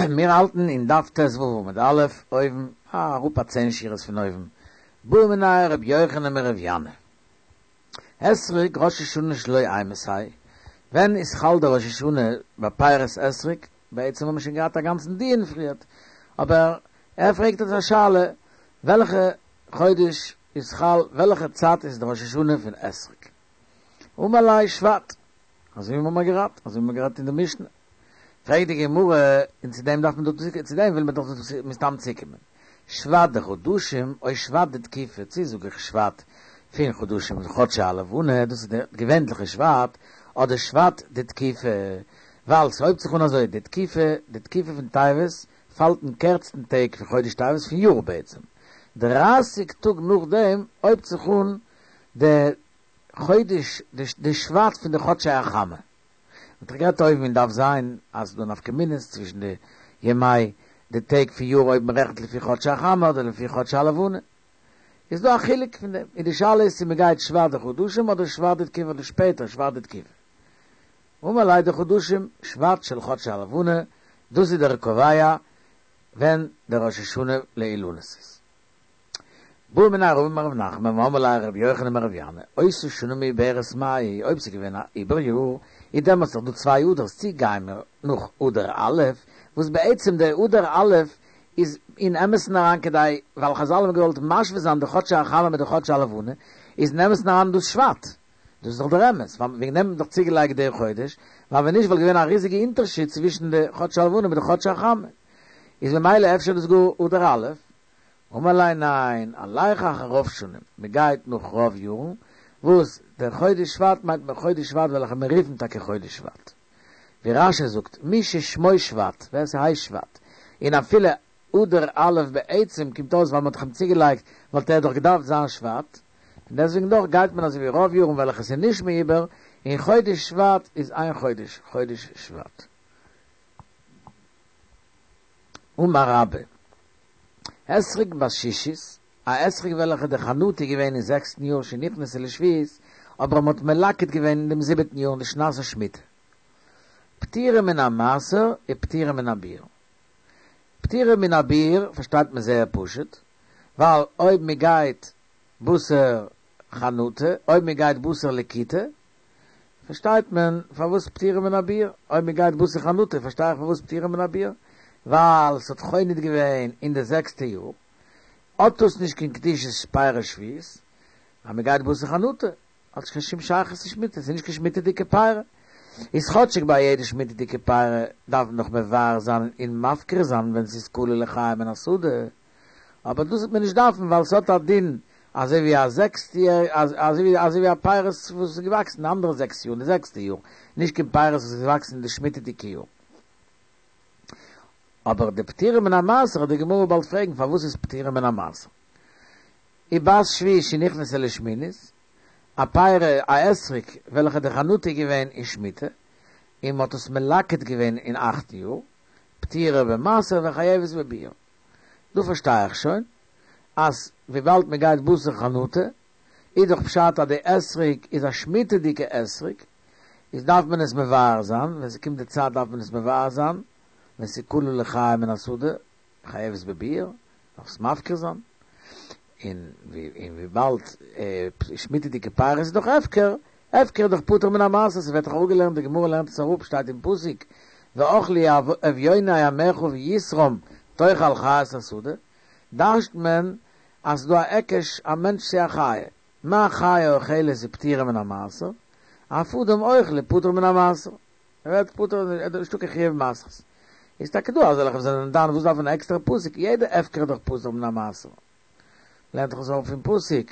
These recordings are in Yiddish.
מיר האלטן אין דף ט"ו עמוד א', אויבן, אראפ א צען שורות פון אויבן, בעא מיניה ר' יוחנן מר' ינאי. אתרוג ראש השנה שלו אימתי, ווען איז חל דער ראש השנה ביי פירות אתרוג? בעצם האבן מיר שוין געהאט א גאנצן דיון פריערט, אבער ער פרעגט אונז א שאלה, וועלכע חודש איז חל, וועלכע צייט איז די ראש השנה פון אתרוג? אמר ליה שבט, אזוי ווי מיר האבן גערעדט, אזוי ווי מיר האבן גערעדט אין די משנה. פרעגט די גמרא, און צו דעם דארף מען דא, צו דעם וויל מען דאך מסתם צוקומען. שבט דחדשים או שבט דתקופה, צו זאג איך שבט פון חדשים חדשי הלבנה, דאס איז די געווענליכע שבט, אדער שבט דתקופה, ווייל ס'הויבט זיך אן אזוי, די תקופה, די תקופה פון טבת פאלט אין קערצטן טעג פון חודש טבת פון יאר בעצם, דרייסיג טאג נאכדעם הויבט זיך אן די חודש, די שבט פון די חדשי החמה. מ'האט דאך גערעדט אויבן אין דף ז' אז ס'דא נפקא מינות צווישן די ימי די טעג פון יאר אויב מ'רעכנט לפי חדשי החמה אדער לפי חדשי הלבנה. איז דא א חילוק פון דעם. און די שאלה איז צו מ'גייט שבט דחדשים אדער שבט דתקופה אדער שפעטער שבט דתקופה. אמר ליה דחדשים, שבט של חדשי הלבנה, דאס איז דער קובע ווען דער ראש השנה לאילנות איז. בעא מיניה רבא מרב נחמן ואמרי לה רבי יוחנן מרב ינאי, אותה שנה מעוברת מאי, אויב ס'איז געווען א עיבור יאר, איז דעמאלטס דאך דא צוויי אדר'ס, צי גיימער נאך אדר א', וואס בעצם דער אדר א' איז אין אמת'ן אריין כדי, ווייל חזל האבן געוואלט משווה זיין די חדשי החמה מיט די חדשי הלבנה, איז אין אמת'ן אריין דאס שבט. דאס איז דאך דער אמת, ווייל וועגן דעם האט מען דאך צוגעלייגט דער חודש, ווייל ווען נישט וואלט געווען א ריזיגע אונטערשיד צווישן די חדשי הלבנה מיט די חדשי החמה. איז ממילא אפשר דאס גאר אדר א', אמר ליה ניין, הלך אחר רוב שנים, מען גייט נאך רוב יארן, וואס דער חודש שבט מיינט מען חודש שבט וועלכע מיר רופן טאקע חודש שבט. ווי רש"י זאגט, מי ששמו שבט, ווער ס'הייסט שבט, און אפילו אדר א' בעצם קומט אויס ווייל מען האט דאך אים צוגעלייגט וואלט ער דאך געדארפט זיין שבט, און דעסוועגן דאך גייט מען אזוי ווי רוב יארן וועלכע ס'איז נישט מעובר, און חודש שבט איז איין חודש, חודש שבט. אמר רבה, אתרוג בת שישית, א אתרוג וועלכע די חנטה איז געווען אין זעקסטן יאר שנכנסה לשביעית, אבער מ'האט מלקט געווען אין דעם זיבעטן יאר אין די שנת השמיטה. פטורה מן המעשר ופטורה מן הביעור. פטורה מן הביעור פארשטייט מען זייער פשוט, ווייל אויב מ'גייט בתר חנטה, אויב מ'גייט בתר לקיטה, פארשטייט מען פארוואס פטורה מן הביעור, אויב מען גייט בתר חנטה פארשטיי איך פארוואס פטורה מן הביעור, ווייל ס'האט חונט געווען אין די זעקסטע יאר, האט דאס נישט קיין קדושת פירות שביעית, אז מען גייט בתר חנטה האט נישט קיין שום שייכות צו שמיטה, ס'איז נישט קיין שמיטה'דיגע פירות, איז כאטשיג ביי יעדע שמיטה'דיגע פירות דארף מען נאך מבער זיין און מפקיר זיין ווען ס'איז כלה לחיים מן השדה, אבער דאס וועט מען נישט דארפן ווייל ס'האט א דין אזוי ווי א זעקסט יאר אזוי ווי אזוי ווי א פירות וואס איז געוואקסן די אנדערע זעקס יאר אין די זעקסטע יאר, נישט קיין פירות וואס איז געוואקסן אין די שמיטה'דיגע יאר. אבער די פטורה מן המעשר וועט די גמרא באלד פרעגן פארוואס איז פטורה מן המעשר. ובת שביעית שנכנסה לשמינית, א פירא א אתרוג וועלכע די חנטה איז געווען אין שמיטה און מ'האט עס מלקט געווען אין אכטן יאר, פטורה במעשר וחייבת בביעור. דא פארשטיי איך שוין אז וויבאלד מען גייט בתר חנטה איז דאך פשט אז די אתרוג איז א שמיטה'דיגע אתרוג, איז דארף מען עס מבער זיין, ווען ס'קומט די צייט דארף מען עס מבער זיין, ווען ס'איז כלה לחיים מן השדה, חייבת בביעור, דארף עס מפקיר זיין, און וויבאלד שמיטה'דיגע פירות איז דאך הפקר, הפקר איז דאך פטור מן המעשר, ס'ווערט דאך אראפגעלערנט, די גמרא לערנט עס אראפ, שטייט אין פסוק, ואכלו אביוני עמך ויתרם תאכל חית השדה, דרש'ט מען אז ס'דא א היקש א מענטש צו א חיה, מה חיה אוכלת ופטורה מן המעשר, אף אדם אוכל ופטור מן המעשר, ער ווערט פטור, נישטא קיין חיוב מעשרות. איז טאקע דא אזעלכע וואס זענען דן וואס דארף מען א עקסטערע פסוק, יעדע הפקר איז דאך פטור מן המעשר. לערנט דאך עס אראפ פון פסוק,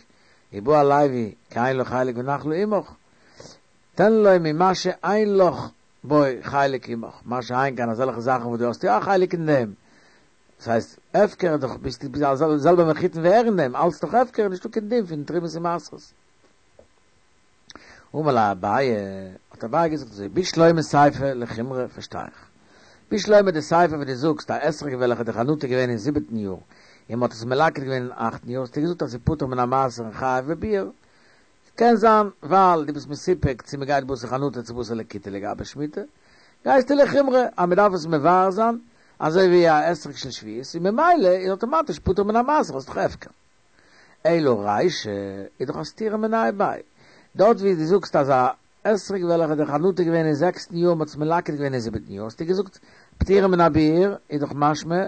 ובא הלוי כי אין לו חלק ונחלה עמך, תן לו ממה שאין לך בו חלק עמך, מה שאין כן אזעלכע זאכן וואס דו האסט יא א חלק אין דעם, דאס הייסט הפקר איז דאך ביסטו די זעלבע מחותן ווי ער אין דעם, אלץ דאך הפקר איז נישטא קיין דין פון תרומות און מעשרות. אמר ליה אביי, האט אביי געזאגט אזוי, בשלמא סיפא לחומרא פארשטיי איך. בשלמא די סיפא וואס דו זאגסט א אתרוג וועלכע די חנטה איז געווען אין זיבעטן יאר און מ'האט עס מלקט געווען אין אכטן יאר האסטו געזאגט אז ס'איז פטור מן המעשר און חייב בביעור. קען זיין ווייל דו ביסט מסופק צו מ'גייט בתר חנטה צו בתר לקיטה לגבי שמיטה, גייסטו לחומרא אז מ'דארף עס מבער זיין. אזוי ווי א אתרוג של שביעית, און ממילא איז אטאמאטיש פטור מן המעשר, ס'איז דאך הפקר. אלא רישא איז דאך א סתירה מיניה וביה. דארט ווי דו זאגסט אז א אתרוג וועלכע די חנטה איז געווען אין זעקסטן יאר מ'האט עס מלקט געווען אין זיבעטן יאר האסטו געזאגט פטורה מן הביעור איז דאך משמע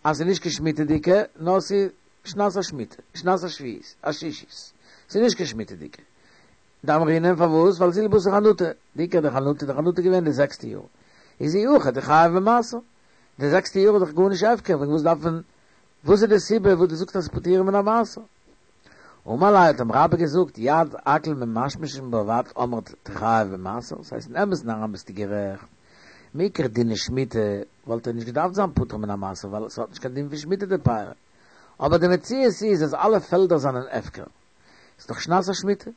אז ס'איז נישט קיין שמיטה'דיגע נאר ס'איז שנת השמיטה, שנת השביעית, השישית, ס'איז נישט קיין שמיטה'דיגע. דאמרינן פארוואס? ווייל זיל בתר חנטה, די עיקר די חנטה, די חנטה איז געווען די זעקסטע יאר, איז אי הכי דחייב במעשר, די זעקסטע יאר איז דאך גארנישט הפקר, וועגן וואס דארף מען, וואס איז די סיבה וואס דו זאגסט אז פטורה מן המעשר? אמר ליה האט אים רבה געזאגט, יד הכל ממשמשין בה ואת אמרת תחייב במעשר, ס'הייסט אין אמת'ן אריין ביסטו גערעכט, מעיקר דיני שמיטה וואלט ער נישט געדארפט זיין פטור מן המעשר ווייל ס'האט נישט קיין דין פון שמיטה די פירי, אבער די מציאות איז אז אלע פעלדער זענען הפקר, ס'איז דאך שנת השמיטה,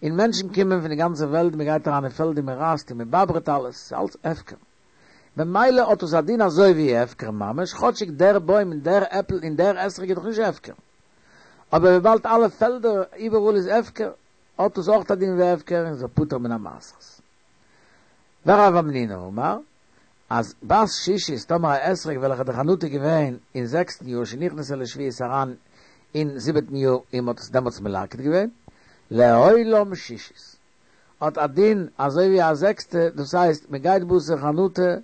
און מענטשן קומען פון די גאנצע וועלט, מען גייט אריין אין פעלד און מען רייסט און מען באברעט אלעס, ס'איז אלץ הפקר. במילא האט עס א דין אזוי ווי הפקר ממש, כאטשיג דער בוים און דער עפל און דער אתרוג איז דאך נישט הפקר. אבער וויבאלד אלע פעלדער איבעראל איז הפקר, האט עס אויך א דין ווי הפקר און איז פטור מן המעשרות. ורב המנונא אמר, אז בת שישית טאמער א אתרוג וועלכע די חנטה איז געווען אין זעקסטן יאר שנכנסה לשביעית אריין אין זיבעטן יאר און מ'האט עס דעמאלטס מלקט געווען, לעולם שישית האט א דין אזוי ווי א זעקסטע, דאס הייסט מ'גייט בתר חנטה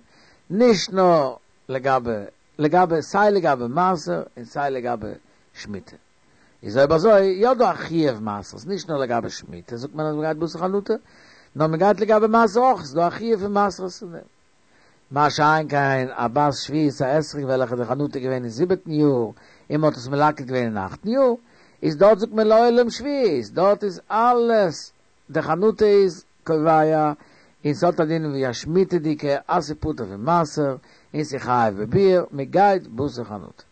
נישט נאר לגבי לגבי סיי לגבי מעשר און סיי לגבי שמיטה. איז אויב אזוי יא דא א חיוב מעשרות, נישט נאר לגבי שמיטה זאגט מען אז מ'גייט בתר חנטה, נאר מ'גייט לגבי מעשר אויך, ס'איז דא א חיוב פון מעשרות אין דעם. מה שאין כן א בת שביעית א אתרוג וועלכע די חנטה איז געווען אין זיבעטן יאר און מ'האט עס מלקט געווען אין אכטן יאר, איז דארט זאגט מען לעולם שביעית, דארט איז אלעס די חנטה איז קובע און ס'האט א דין ווי א שמיטה'דיגע אז ס'איז פטור פון מעשר און ס'איז חייב בביעור, מ'גייט בתר חנטה.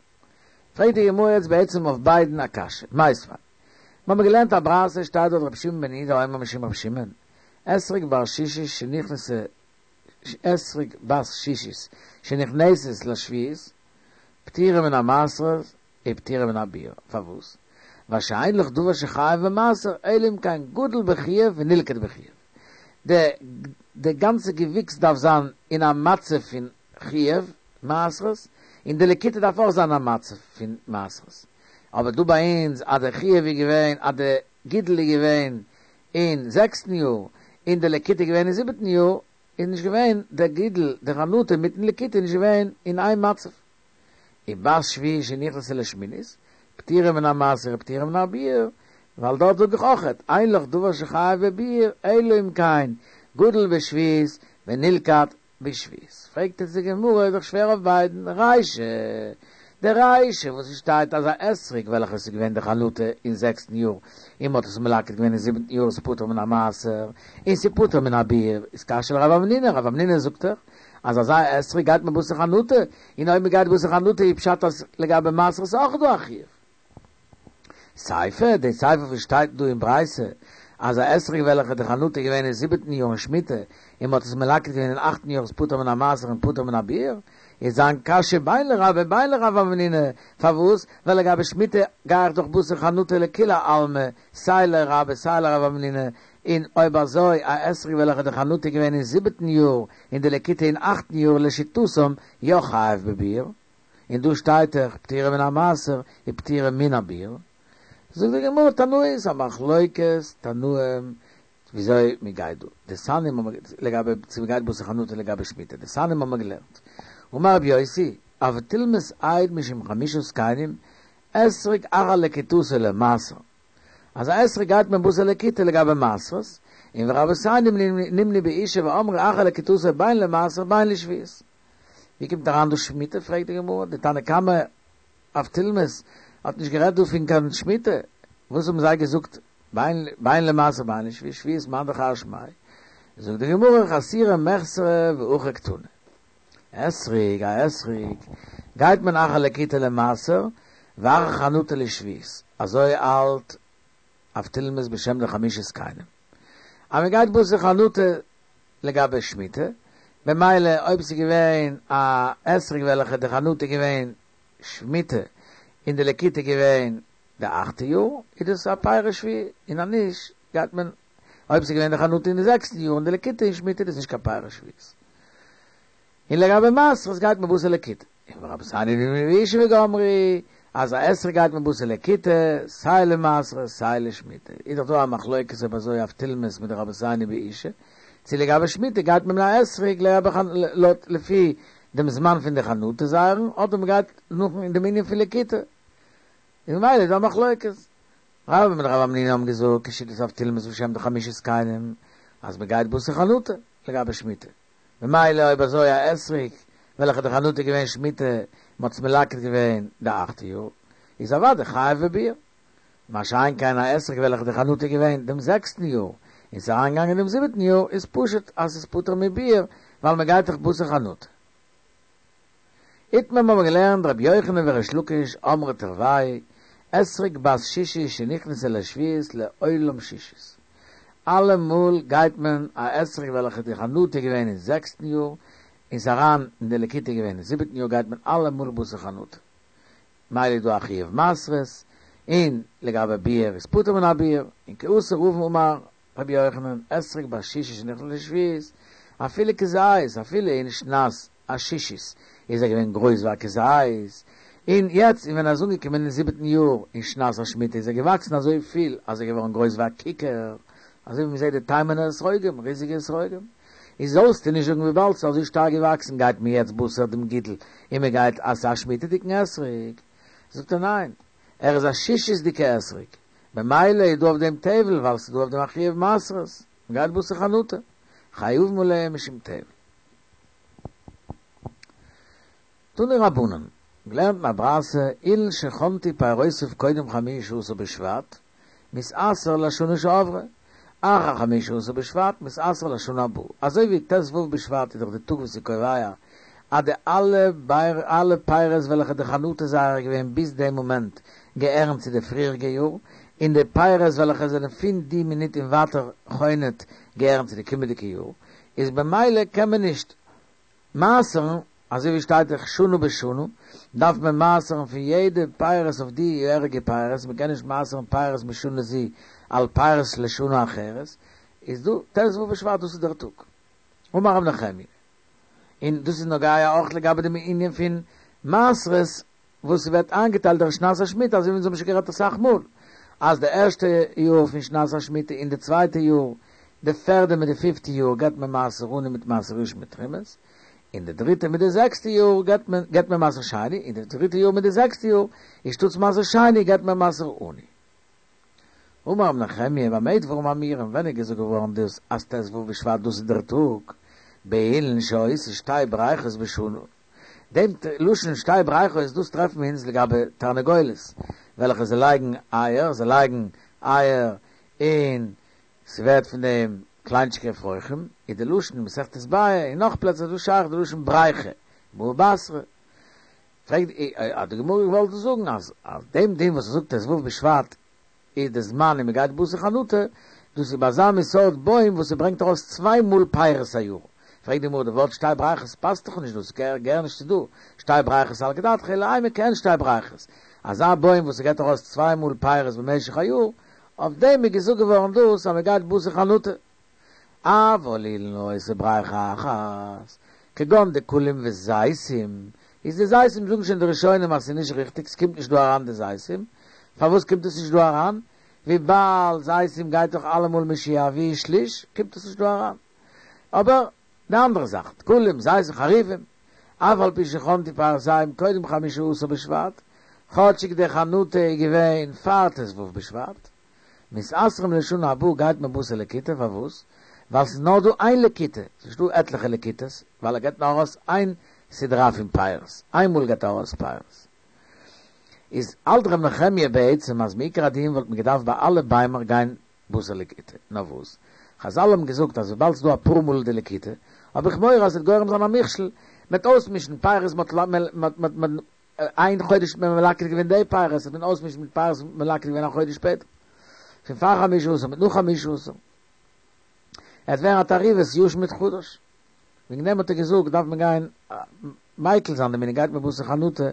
פרעגט די גמרא יעצט בעצם אויף ביידן א קשיא, מיתיבי, מיר האבן געלערנט א ברייתא שטייט דארט רבי שמעון בן יהודה אומר משום רבי שמעון, אתרוג בר שישית שנכנסה אתרוג בת שישית שנכנסת לשביעית פטורה מן המעשרות ופטורה מן הביעור, פארוואס? ווייל שאין לך דבר שחייב במעשר אלא אם כן גדל בחיוב ונלקט בחיוב, די די גאנצע געוויקס דארף זיין אין א מצב פון חיוב מעשרות, און די לקיטה דארף אויך זיין א מצב פון מעשרות. אבער דא ביי אונז אז די חיוב איז געווען אז די גידול איז געווען אין זעקסטן יאר און די לקיטה איז געווען אין זיבעטן יאר, איז נישט געווען די גידול, די חנטה מיטן לקיטה איז נישט געווען אין איין מצב. ובת שביעית שנכנסה לשמינית, פטורה מן המעשר ופטורה מן הביעור, ווייל דארט זאג איך אויכעט, אין לך דבר שחייב בביעור אלא אם כן גדל בשביעית ונלקט בשביעית. פרעגט יעצט די גמרא, איז דאך שווער אויף ביידן, רישא, די רישא וואס עס שטייט אז א אתרוג וועלכע עס איז געווען די חנטה אין זעקסטן יאר און מ'האט עס מלקט געווען אין זיבנטן יאר איז פטור מן המעשר און ס'איז פטור מן הביעור, איז קשיא לרב המנונא, רב המנונא זאגט דאך אז אזא אתרוג גייט מען בתר חנטה, און אויב מ'גייט בתר חנטה איז פשט אז לגבי מעשר איז אויך דא א חיוב. סיפא, די סיפא וואס שטייט דא אין ברייתא אז א אתרוג וועלכע די חנטה איז געווען אין זיבעטן יאר אין שמיטה און מ'האט עס מלקט געווען אין אכטן יאר איז פטור מן המעשר און פטור מן הביעור, איז זיין קשיא בין לרבה בין לרב המנונא, פארוואס? ווייל לגבי שמיטה גיי איך דאך בתר חנטה לכולי עלמא, סיי לרבה סיי לרב המנונא, און אויב אזוי א אתרוג וועלכע די חנטה איז געווען אין זיבעטן יאר און די לקיטה אין אכטן יאר לשיטתם יא חייב בביעור, און דא שטייט דאך פטורה מן המעשר און פטורה מן הביעור, זאגט די גמרא תנאי ס'איז א מחלוקת תנאים וויאזוי מען גייט דא, דתניא לגבי צו מען גייט בתר חנטה לגבי שמיטה, דתניא האבן מיר געלערנט, אמר רבי יוסי, אבטולמוס העיד משום חמשה זקנים, אתרוג אחר לקיטתו למעשר, אז א אתרוג גייט מען בתר לקיטה לגבי מעשרות, און ורבותינו נמנו באושא ואמרו אחר לקיטתו בין למעשר בין לשביעית. ווי קומט אריין דא שמיטה פרעגט די גמרא, די תנא קמא אבטולמוס האט נישט גערעדט דא פון קיין שמיטה, וואס האבן זיי געזאגט בין למעשר בין לשביעית, שביעית מאן דכר שמיה, זאגט די גמרא חסורי מחסרא והכי קתני, אתרוג א אתרוג גייט מען אחר לקיטה למעשר ואחר חנטה לשביעית, אזוי האלט אבטולמוס בשם די חמשה זקנים אז מען גייט בתר חנטה לגבי שמיטה, במילא אויב ס'איז געווען א אתרוג וועלכע די חנטה איז געווען שמיטה און די לקיטה איז געווען די אכטע יאר, איז דאס א פרי שביעי, און אז נישט גייט מען, אויב ס'איז געווען די חנטה אין די זעקסטן יאר און די לקיטה אין שמיטה איז דאס נישט קיין פרי שביעית. און לגבי מעשרות גייט מען בתר לקיטה. און ורבותינו באושא וגמרי אז א אתרוג גייט מען בתר לקיטה, סיי למעשרות סיי לשמיטה, איז דאך דא א מחלוקת אויב אזוי אבטולמוס מיט די רבותינו באושא, צו לגבי שמיטה גייט מען מיט א אתרוג לויט לפי דעם זמן פון די חנטה זייערן אדער מען גייט נאכן אין דעם ענין פון לקיטה, איז ממילא איז דא א מחלוקת. רבה מיט רב המנונא האבן געזאגט כשיטת אבטולמוס בשם די חמשה זקנים אז מען גייט בתר חנטה לגבי שמיטה. ממילא אויב אזוי א אתרוג וועלכע די חנטה איז געווען שמיטה מ'האט עס מלקט געווען די אכטע יאר איז אוודאי חייב בביעור. מה שאין כן א אתרוג וועלכע די חנטה איז געווען דעם זעקסטן יאר און ס'איז אריינגעגאנגען דעם זיבעטן יאר איז פשוט אז ס'איז פטור מביעור ווייל מ'גייט דאך בתר חנטה. איתמר מ'האבן געלערנט רבי יוחנן וריש לקיש אמרי תרוייהו אתרוג בת שישית שנכנסה לשביעית לעולם שישית. אלעמאל גייט מען א אתרוג וועלכע די חנטה איז געווען אין זעקסטן יאר און ס'איז אריין אין די לקיטה געווען אין זיבעטן יאר גייט מען אלעמאל בתר חנטה. מילא איז דא א חיוב מעשרות און לגבי ביעור איז פטור מן הביעור און כי אתא רבין אמר רבי יוחנן אתרוג בת שישית שנכנסה לשביעית אפילו כזית אפילו אין שנת השישית איז ער געווען גרויס ווי א כזית, און יעצט און ווען ער איז אנגעקומען אין זיבעטן יאר אין שנת השמיטה איז ער געוואקסן אזוי פיל אז ער איז געווארן גרויס ווי א כיכר, אזוי ווי מ'זעט די תימנ'ער אתרוגים, ריזיגע אתרוגים. איז זאלסטו נישט זאגן וויבאלד ס'איז אזוי שטארק געוואקסן גייט מען יעצט בתר דעם גידול און מ'גייט אז ס'איז א שמיטה'דיגן אתרוג. זאגט ער ניין, ער איז א שישית'דיגע אתרוג, במילא איז דא אויף דעם טבל ווייל ס'איז דא אויף דעם א חיוב מעשרות, מ'גייט בתר חנטה, חייבין עליהם משום טבל. תנו רבנן, געלערנט אין א ברייתא, אילן שחנטו פירותיו קודם חמשה עשר בשבט, מתעשר לשנה שעברה, אחר חמשה עשר בשבט, מתעשר לשנה הבאה. אזוי ווי ט ו בשבט איז דאך די טאג וואס איז קובע אז די אלע אלע פירות וועלכע די חנטה זייערע איז געווען ביז דעם מאמענט געהערן צו די פריעריגע יאר, און די פירות וועלכע זענען פון די מינוט און ווייטער חונט געהערן צו די קומענדיגע יאר, איז במילא קען מען נישט מעשר'ן, אזוי ווי שטייט דאך שנה בשנה, דארף מען מעשר'ן פון יעדע פירות אויף די יעריגע פירות, מען קען נישט מעשר'ן פירות משנה זו על פירות לשנה אחרת, איז דא ט ו בשבט דאס איז דער טאג. אמר רב נחמיה, און דאס איז נוגע אויך לגבי דעם ענין פון מעשרות וואס ס'ווערט איינגעטיילט דורך שנת השמיטה, אזוי ווי אונז האבן שוין גערעדט אסאך מאל, אז די ערשטע יאר פון שנת השמיטה און די צווייטע יאר, די פערדע מיט די פיפטע יאר געבט מען מעשר עני מיט מעשר ראשון מיט תרומות, און די דריטע מיט די זעקסטע יאר געבט מען געבט מען מעשר שני, און די דריטע יאר מיט די זעקסטע יאר, איז שטאטס מעשר שני געבט מען מעשר עני. אמר רב נחמיה, במה דברים אמורים, ווען איז געזאגט געווארן דאס אז ט ו בשבט דאס איז דער טאג, באילן שעושה שתי בריכות בשנה, דעם לשון שתי בריכות דאס טרעפן מיר אונז לגבי תרנגולת וועלכע זיי לייגן אייער, זיי לייגן אייער און ס'ווערט פון דעם קליינטשיגע אפרוחים, איז די לשון אין מסכת ביעא און נאך פלעצער איז דא שייך די לשון בריכה, בבא בתרא. פרעגט האט די גמרא געוואלט זאגן אז אז דעם דין וואס ער זאגט ט ו בשבט איז די זמן און מ'גייט בתר חנטה, דאס איז ביי אזא מין סארט בוים וואס ס'ברענגט ארויס צוויי מאל פירות א יאר. פרעגט די גמרא די ווארט שתי בריכות פאסט דאך נישט דא, ס'געהער נישט צו דא, שתי בריכות סלקא דעתך אלא אימא כעין שתי בריכות, אזא בוים וואס ס'געט ארויס צוויי מאל פירות במשך א יאר, אויף דעם איז געזאגט געווארן דאס אז מ'גייט בתר חנטה. אבל אילן העושה בריכה אחת, כגון דקלים וזיתים, איז די זיתים זאגן שוין די ראשונים אז ס'איז נישט ריכטיג ס'קומט נישט דא אריין די זיתים, פארוואס קומט עס נישט דא אריין? וויבאלד זיתים גייט דאך אלעמאל משיביאו שליש קומט עס נישט דא אריין. אבער די אנדערע זאכן, דקלים, זיתים, חרובים, אף על פי שחנטו פירותיהם קודם חמשה עשר בשבט, כאטשיג די חנטה איז געווען פאר ט ו בשבט, מתעשרים לשנה הבאה גייט מען בתר לקיטה, פארוואס? ווייל ס'איז נאר דא איין לקיטה, ס'איז נישט דא עטליכע לקיטות, ווייל ער געבט נאר ארויס איין סדרה פון פירות, איין מאל געבט ער ארויס פירות. איז האלט ר' נחמיה בעצם אז מעיקר הדין וואלט מען געדארפט ביי אלע ביימער גיין בתר לקיטה, נאר וואס? חזל האבן געזאגט אז וויבאלד ס'איז דא אפאר מאל די לקיטה, האב איך מורא אז ס'וועט גורם זיין א מכשול, מ'וועט אויסמישן פירות מ'האט איין חודש האט מען מלקט געווען די פירות, האט מען אויסמישן מיט פירות וואס מ'האט מלקט געווען א חודש שפעטער, פון פאר חמשה עשר מיט נאך חמשה עשר. עס וועט ווערן א תערובת ישן מיט חדש. וועגן דעם האט ער געזאגט דארף מען גיין מיקל זיין דערמיט און גייט מען בתר חנטה,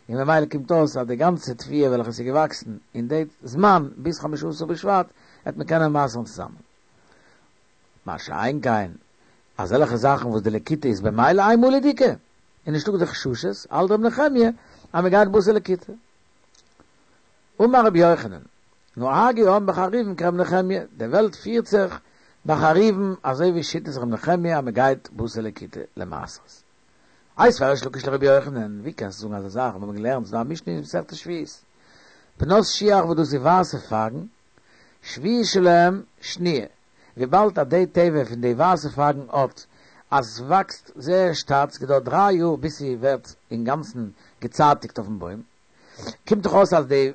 און ממילא קומט אויס אז די גאנצע תבואה וועלכע איז געוואקסן אין די זמן ביז חמשה עשר בשבט וועט מען קענען מעשר'ן צוזאמען. מה שאין כן אזעלכע זאכן וואס די לקיטה איז במילא איינמאלידיגע. איז נישטא די חששות, האלט ר' נחמיה אז מען גייט בתר לקיטה. אמר רבי יוחנן, נהגו העם בחרובין כר' נחמיה, די וועלט פירט זיך ביי חרובין אזוי ווי שיטת ר' נחמיה אז מען גייט בתר לקיטה למעשרות. איתיביה ריש לקיש לרבי יוחנן, ווי קענסטו זאגן אזא זאך, מיר האבן געלערנט ס'דא א משנה אין מסכת שביעית, בנות שיח וואס דאס איז ווייסע פייגן, שביעית שלהם שניה, וויבאלד אז די טבע פון די ווייסע פייגן האט אז ס'וואקסט זייער שטאט, ס'געדויערט דריי יאר ביז ס'ווערט אינגאנצן געצייטיגט אויפן בוים, קומט דאך אויס אז די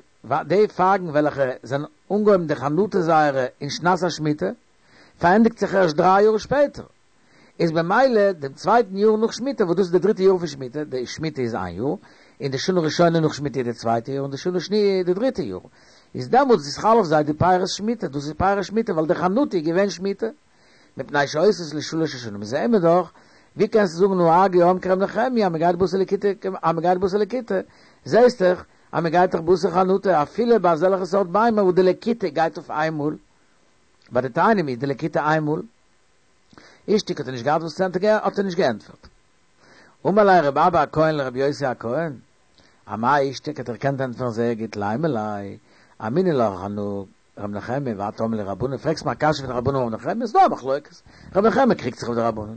די פייגן וועלכע זענען אנגעהויבן די חנטה זייערע אין שנת השמיטה, פארענדיגט זיך ערשט דריי יאר שפעטער, איז במילא דעם צווייטן יאר נאך שמיטה, וואס דאס איז די דריטע יאר פון שמיטה, די שמיטה איז איין יאר, און די שנה ראשונה נאך שמיטה איז די צווייטע יאר, און די שנה שניה איז די דריטע יאר, איז דעמאלטס איז חל אויף זיי די פירות שמיטה, דאס איז פירות שמיטה ווייל די חנטה איז געווען שמיטה, מפני שעושות לשלש השנים, זעען מיר דאך, ווי קענסטו זאגן נהגו העם כר' נחמיה אז מען גייט בתר לקיטה, אז מען גייט בתר לקיטה, זעסט דאך אז מען גייט דאך בתר חנטה אפילו ביי אזעלכע סארט ביימער וואס די לקיטה גייט אויף איינמאל, ביי די תאנים איז די לקיטה איינמאל. אישתיק האט ער נישט געהאט וואס צו ענטפערן האט ער נישט געענטפערט. אמר ליה רבי אבא הכהן לרבי יוסי הכהן, אמאי אישתיק האט ער געקענט ענטפערן זייער גוט לימא ליה, אמינא לך אנא ר' נחמיה ואת אמרי לי רבנן פרעגסט מיר א קשיא פון רבנן און ר' נחמיה איז דא א מחלוקת ר' נחמיה קריגט זיך אויף די רבנן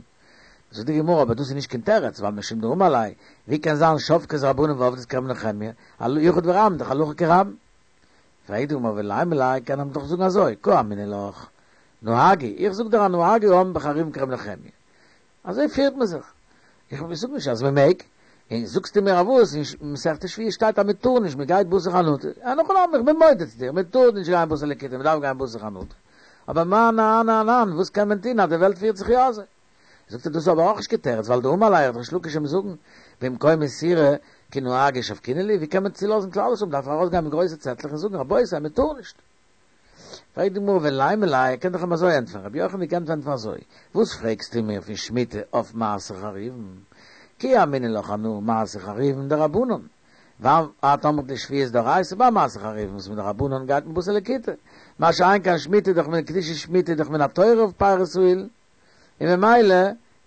זאגט די גמרא אבער דאס איז נישט קיין תירוץ ווייל משום דאמר ליה ווי קען זיין שבקת רבנן ועבדת כר' נחמיה יחיד ורבים דאך הלכה כרבים פרעגט די גמרא ולימא ליה קען מען דאך זאגן אזוי קא אמינא לך נהגו, איך זאג דיר אז נהגו העם בחרובין כר' נחמיה. אזוי פירט מען זיך. איך זאג נישט אז מען מעג. און זאגסטו מיר אז וואס, אין מסכת שביעית שטייט אז מען טאר נישט, מען גייט בתר חנטה. אין הכי נמי, איך בין מודה צו דיר, מען טאר נישט גיין בתר לקיטה, מען דארף גיין בתר חנטה. אבער מה אנן אנן, וואס קען מען טון אז די וועלט פירט זיך יא אזוי. זאגט ער דאס איז אבער אויך נישט קיין תירוץ, ווייל דאמר ליה וועט ריש לקיש אים זאגן, במקום איסורא כי נהגו שבקינן להו, ווי קען מען צולאזן כלל ישראל, מען דארף ארויסגיין מיט גרויסע צעטלעך און זאגן רבותי מען טאר נישט. פרעגט די גמרא ולימא ליה, ער קען דאך אים אזוי ענטפערן, רבי יוחנן קען ענטפערן אזוי, וואס פרעגסטו מיר פון שמיטה אויף מעשר חרובין, כי אמינא לך אנא מעשר חרובין דרבנן, ואת אמרת לי שביעית דאורייתא, ביי מעשר חרובין וואס מדרבנן גייט מען בתר לקיטה, מה שאין כן שמיטה דאך מן קדושת שמיטה דאך מן התורה אויף פירות האילן, און ממילא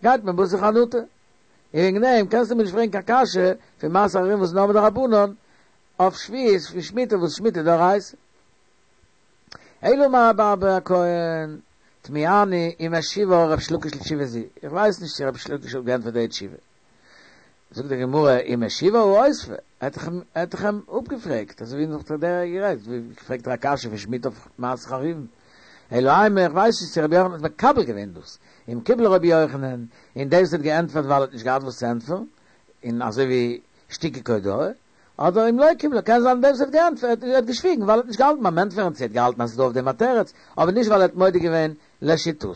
גייט מען בתר חנטה. און וועגן דעם קענסטו מיר נישט פרעגן קיין קשיא פון מעשר חרובין וואס איז נאר מדרבנן, אויף שביעית פון שמיטה וואס שמיטה דאורייתא. אלא אמר רבי אבא הכהן, תמיהני אם השיבה ריש לקיש לתשובה זו, איך ווייס נישט צו ריש לקיש האט געענטפערט די תשובה. זאגט די גמרא, אם השיבה הא אותבה, ער האט דאך אים אפגעפרעגט, אזוי ווי נאך דער גערעדט, ווי פרעגט ער א קשיא פון שמיטה אויף מעשר חרובין. אלא אימא, איך ווייס נישט צו רבי יוחנן האט מקבל געווען דאס, אם קיבלה רבי יוחנן, און דאס האט געענטפערט ווייל ער האט נישט געהאט וואס צו ענטפערן, און אזוי ווי שתיקה כהודאה, אדער אם לא קיבלה, קען זיין דער וואס האט געענטפערט, ער האט געשוויגן ווייל ער האט נישט געהאלטן ביים ענטפערן, צו ער האט געהאלטן אז ס'איז דא אויף דעם א תירוץ, אבער נישט ווייל ער האט מודה געווען לשיטתו.